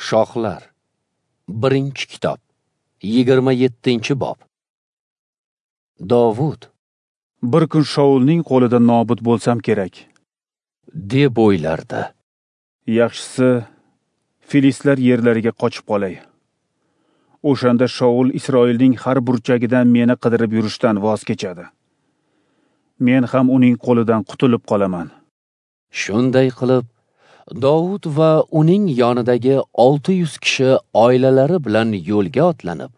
Shohlar. 1-kitob, 27-bob. Dovud bir kun Shaulning qo'lida nobud bo'lsam kerak, deb o'ylardi. Yaxshisi filistlar yerlariga qochib qolay. O'shanda Shaul Isroilning har burchagidan meni qidirib yurishdan voz kechadi. Men ham uning qo'lidan qutulib qolaman. Shunday qilib, Dovud va uning yonidagi 600 kishi oilalari bilan yo'lga otlanib,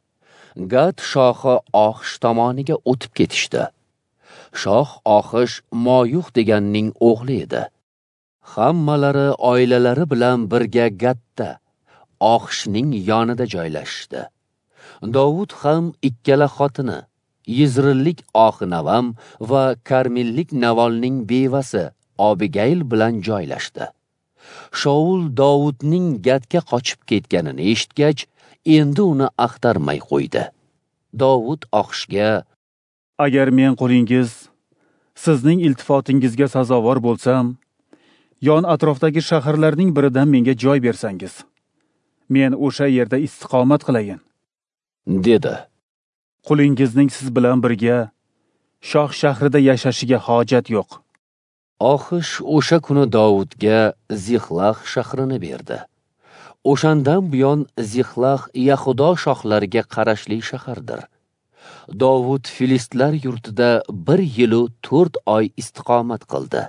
Gat shohi Oxish tomoniga o'tib ketishdi. Shoh Oxish Moyux deganning o'g'li edi. Hammalari oilalari bilan birga Gatda, Oxishning yonida joylashishdi. Dovud ham ikkala xotini, Yizrillik Oxinavam va Karmillik Navolning bevasi Abigayl bilan joylashdi. Shaul Dovudning Gatga qochib ketganini eshitgach, endi uni axtarmay qo'ydi. Dovud Oxishga: Agar men qulingiz sizning iltifotingizga sazovor bo'lsam, yon atrofdagi shaharlarning biridan menga joy bersangiz, men o'sha yerda istiqomat qilayin, dedi. Qulingizning siz bilan birga shoh shahrida yashashiga hojat yo'q. Oxish o'sha kuni Dovudga Zixlax shahrini berdi. O'shandan buyon Zixlax Yahudo shohlariga qarashli shahardir. Dovud filistlar yurtida 1 yil 4 oy istiqomat qildi.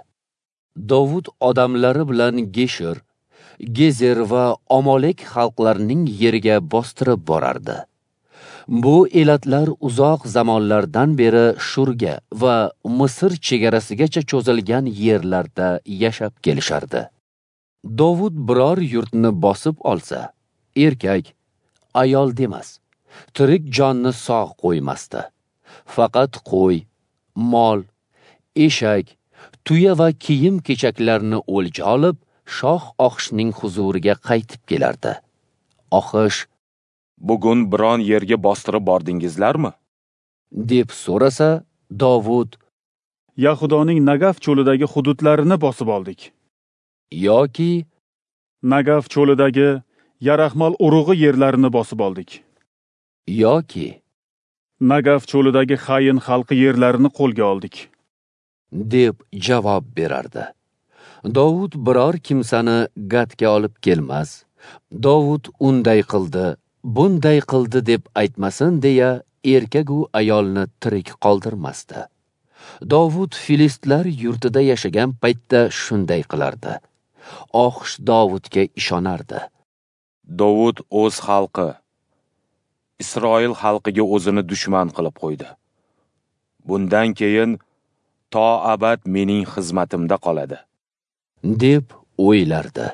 Dovud odamlari bilan Geshur, Gezer va Omolek xalqlarining yeriga bostirib borardi. Bu elatlar uzoq zamonlardan beri Shurga va Misr chegarasigacha cho'zilgan yerlarda yashab kelishardi. Dovud biror yurtni bosib olsa, erkak, ayol demas, tirik jonni sog' qo'ymasdi. Faqat qo'y, mol, eshak, tuya va kiyim-kechaklarni o'lja olib, shoh Oxishning huzuriga qaytib kelardi. Oxish: Bugun biron yerga bostirib bordingizlarmi? deb so'rasa, Dovud: Yahudoning Nagav cho'lidagi hududlarini bosib oldik. Yoki Nagav cho'lidagi Yarahmal urug'i yerlarini bosib oldik. Yoki Nagav cho'lidagi Xayin xalqi yerlarini qo'lga oldik, deb javob berardi. Dovud biror kimsani Gatga olib kelmas. Dovud unday qildi, bunday qildi deb aytmasin deya erkak u ayolni tirik qoldirmasdi. Dovud filistlar yurtida yashagan paytda shunday qilardi. Oxish Dovudga ishonardi. Dovud o'z xalqi, Isroil xalqiga o'zini dushman qilib qo'ydi. Bundan keyin to abad mening xizmatimda qoladi, deb o'ylardi.